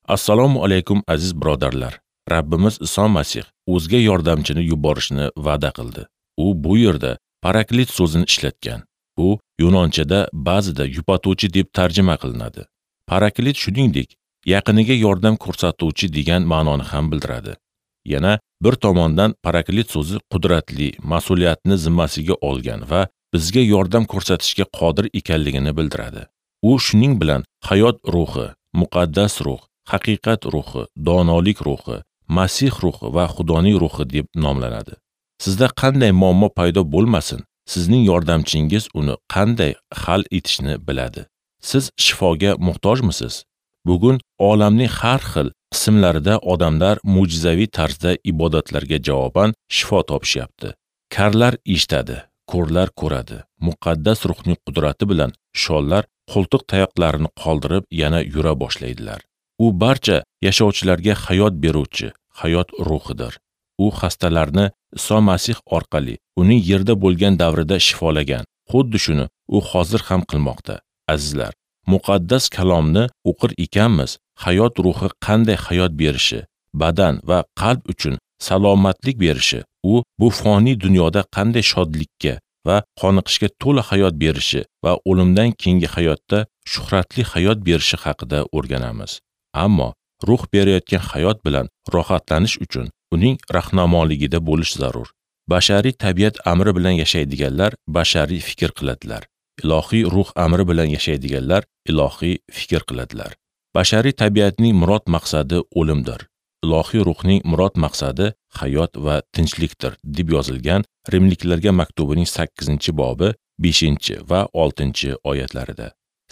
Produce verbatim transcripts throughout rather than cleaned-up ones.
Assalomu alaykum aziz birodarlar. Rabbimiz Iso Masih o'zga yordamchini yuborishni va'da qildi. U bu yerda paraklit so'zini ishlatgan. Bu yunonchada ba'zida yupatuvchi deb tarjima qilinadi. Paraklit shuningdek yaqiniga yordam ko'rsatuvchi degan ma'noni ham bildiradi. Yana bir tomondan paraklit so'zi qudratli, mas'uliyatni zimmasiga olgan va bizga yordam ko'rsatishga qodir ekanligini bildiradi. U shuning bilan hayot ruhi, muqaddas ruh, haqiqat ruhi, donolik ruhi, Masih ruhi va Xudoning ruhi deb nomlanadi. Sizda qanday muammo paydo bo'lmasin, sizning yordamchingiz uni qanday hal etishni biladi. Siz shifoga muhtojmisiz? Bugun olamning har xil qismlarida odamlar mo'jizaviy tarzda ibodatlarga javoban shifo topishyapti. Karlar eshitadi, ko'rlar ko'radi. Muqaddas ruhning qudrati bilan shollar qo'ltiq tayoqlarini qoldirib yana yura boshlaydilar. U barcha yashovchilarga hayot beruvchi, hayot ruhidir. U xastalarni Iso Masih orqali uning yerda bo'lgan davrida shifolagan. Xuddi shuni u hozir ham qilmoqda. Azizlar, muqaddas kalomni o'qir ekanmiz, hayot ruhi qanday hayot berishi, badan va qalb uchun salomatlik berishi, u bu foniy dunyoda qanday shodlikka va qoniqishga to'la hayot berishi va o'limdan keyingi hayotda shuhratli hayot berishi haqida o'rganamiz. Ammo ruh berayotgan hayot bilan rohatlanish uchun uning rahnamoligida bo'lish zarur. Bashariy tabiat amri bilan yashaydiganlar bashariy fikr qiladilar. Ilohiy ruh amri bilan yashaydiganlar ilohiy fikr qiladilar. Bashariy tabiatning murod maqsadi o'limdir. Ilohiy ruhning murod maqsadi hayot va tinchlikdir deb yozilgan Rimliklarga maktubining sakkizinchi bobi beshinchi va oltinchi oyatlarida.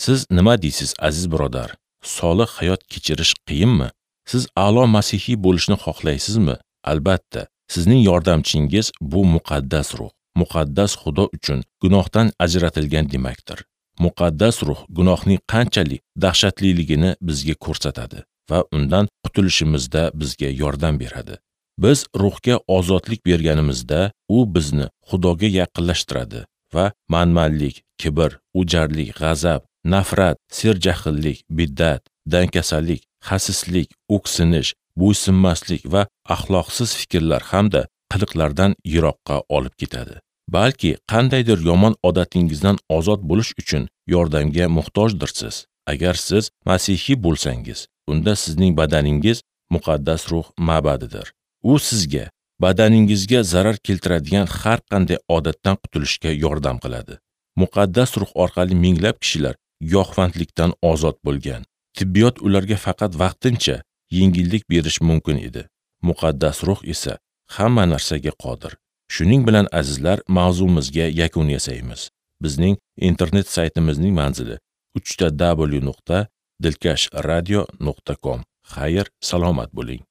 Siz nima deysiz aziz birodar? Solih hayot kechirish qiyinmi? Siz a'lo masihiy bo'lishni xohlaysizmi? Albatta, sizning yordamchingiz bu muqaddas ruh. Muqaddas Xudo uchun gunohdan ajratilgan demakdir. Muqaddas ruh gunohning qanchalik dahshatliligini bizga ko'rsatadi va undan qutulishimizda bizga yordam beradi. Biz ruhga ozodlik berganimizda u bizni Xudoga yaqinlashtiradi va manmanlik, kibr, o'jarlik, g'azab, nafrat, serjahllik, biddat, dangasalik, xasislik, o'ksinish, bo'ysunmaslik va axloqsiz fikrlar hamda qiliqlardan yiroqqa olib ketadi. Balki qandaydir yomon odatingizdan ozod bo'lish uchun yordamga muhtojdirsiz. Agar siz masihiy bo'lsangiz, unda sizning badaningiz muqaddas ruh ma'badidir. U sizga badaningizga zarar keltiradigan har qanday odatdan qutulishga yordam qiladi. Muqaddas ruh orqali minglab kishilar giyohvandlikdan ozod bo'lgan. Tibbiyot ularga faqat vaqtincha yengillik berish mumkin edi. Muqaddas ruh esa hamma narsaga qodir. Shuning bilan azizlar, mavzumizga yakun yasaymiz. Bizning internet saytimizning manzili uch ta w nuqta dilkash radio nuqta com. Xayr, salomat bo'ling.